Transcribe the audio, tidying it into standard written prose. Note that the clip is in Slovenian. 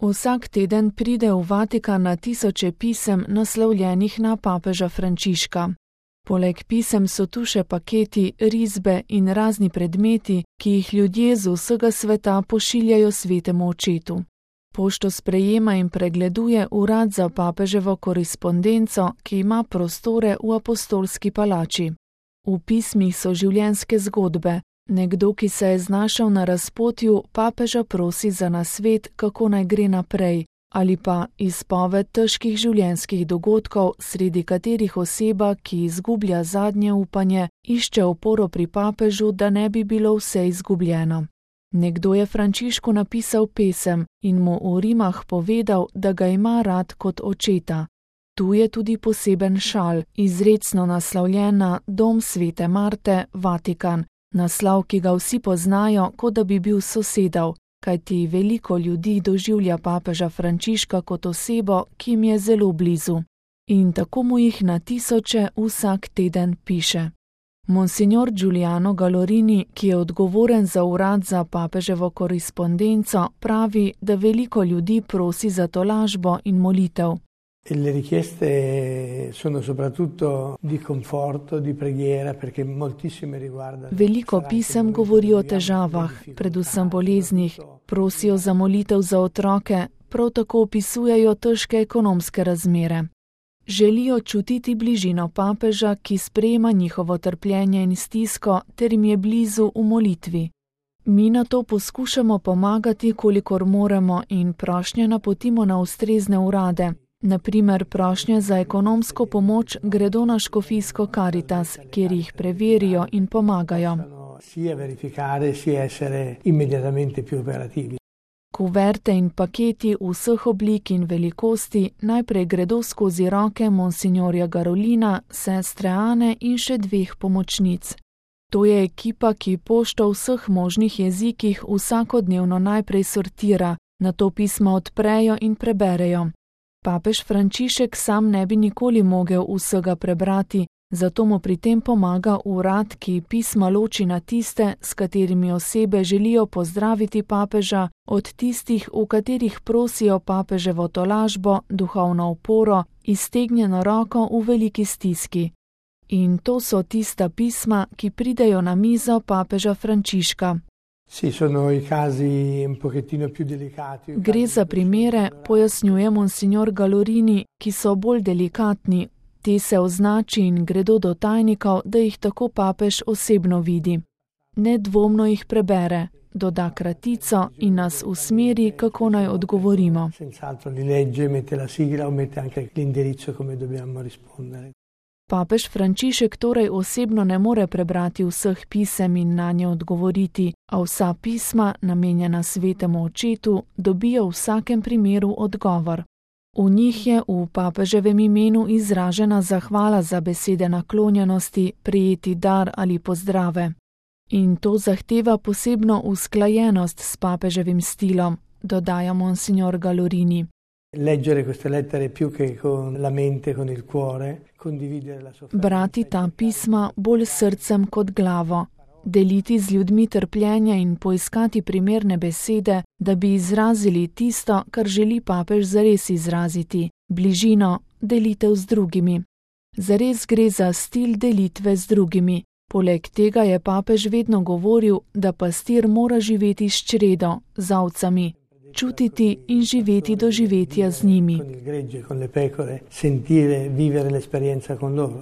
Vsak teden pride v Vatikan na tisoče pisem naslovljenih na papeža Frančiška. Poleg pisem so tu še paketi, risbe in razni predmeti, ki jih ljudje z vsega sveta pošiljajo svetemu očetu. Pošto sprejema in pregleduje urad za papeževo korespondenco, ki ima prostore v apostolski palači. V pismih so življenjske zgodbe. Nekdo, ki se je znašel na razpotju, papeža prosi za nasvet, kako naj gre naprej, ali pa izpoved težkih življenjskih dogodkov, sredi katerih oseba, ki izgublja zadnje upanje, išče oporo pri papežu, da ne bi bilo vse izgubljeno. Nekdo je Frančišku napisal pesem in mu v rimah povedal, da ga ima rad kot očeta. Tu je tudi poseben šal, izrecno naslovljen na Dom svete Marte, Vatikan, naslov, ki ga vsi poznajo, kot da bi bil sosedov, kajti veliko ljudi doživlja papeža Frančiška kot osebo, ki jim je zelo blizu. In tako mu jih na tisoče vsak teden piše. Monsignor Giuliano Gallorini, ki je odgovoren za urad za papeževo korespondenco, pravi, da veliko ljudi prosi za tolažbo in molitev. Le richieste sono soprattutto di conforto, di preghiera, perché moltissime riguardano. Veliko pisem govori o težavah, predvsem boleznih, prosijo za molitev za otroke, prav tako opisujejo težke ekonomske razmere. Želijo čutiti bližino papeža, ki sprejema njihovo trpljenje in stisko, ter jim je blizu v molitvi. Mi na to poskušamo pomagati, kolikor moremo, in prošnje napotimo na ustrezne urade. Naprimer, prošnje za ekonomsko pomoč gredo na škofijsko Caritas, kjer jih preverijo in pomagajo. Kuverte in paketi vseh oblik in velikosti najprej gredo skozi roke monsignorja Garolina, sestre Ane in še 2 pomočnic. To je ekipa, ki pošto v vseh možnih jezikih vsakodnevno najprej sortira, nato pisma odprejo in preberejo. Papež Frančišek sam ne bi nikoli mogel vsega prebrati, zato mu pri tem pomaga urad, ki pisma loči na tiste, s katerimi osebe želijo pozdraviti papeža, od tistih, v katerih prosijo papeževo tolažbo, duhovno oporo, iztegnjeno roko v veliki stiski. In to so tista pisma, ki pridejo na mizo papeža Frančiška. Gre za primere, pojasnjuje monsignor Gallorini, ki so bolj delikatni. Te se označi in gredo do tajnikov, da jih tako papež osebno vidi. Nedvomno jih prebere, doda kratico in nas usmeri, kako naj odgovorimo. Papež Frančišek torej osebno ne more prebrati vseh pisem in na nje odgovoriti, a vsa pisma, namenjena svetemu očetu, dobijo v vsakem primeru odgovor. V njih je v papeževem imenu izražena zahvala za besede naklonjenosti, prijeti dar ali pozdrave. In to zahteva posebno usklajenost s papeževim stilom, dodaja monsignor Gallorini. Brati ta pisma bolj s srcem kot glavo, deliti z ljudmi trpljenje in poiskati primerne besede, da bi izrazili tisto, kar želi papež zares izraziti, bližino, delitev z drugimi. Zares gre za stil delitve z drugimi. Poleg tega je papež vedno govoril, da pastir mora živeti s čredo, z ovcami, čutiti in živeti doživetja z njimi.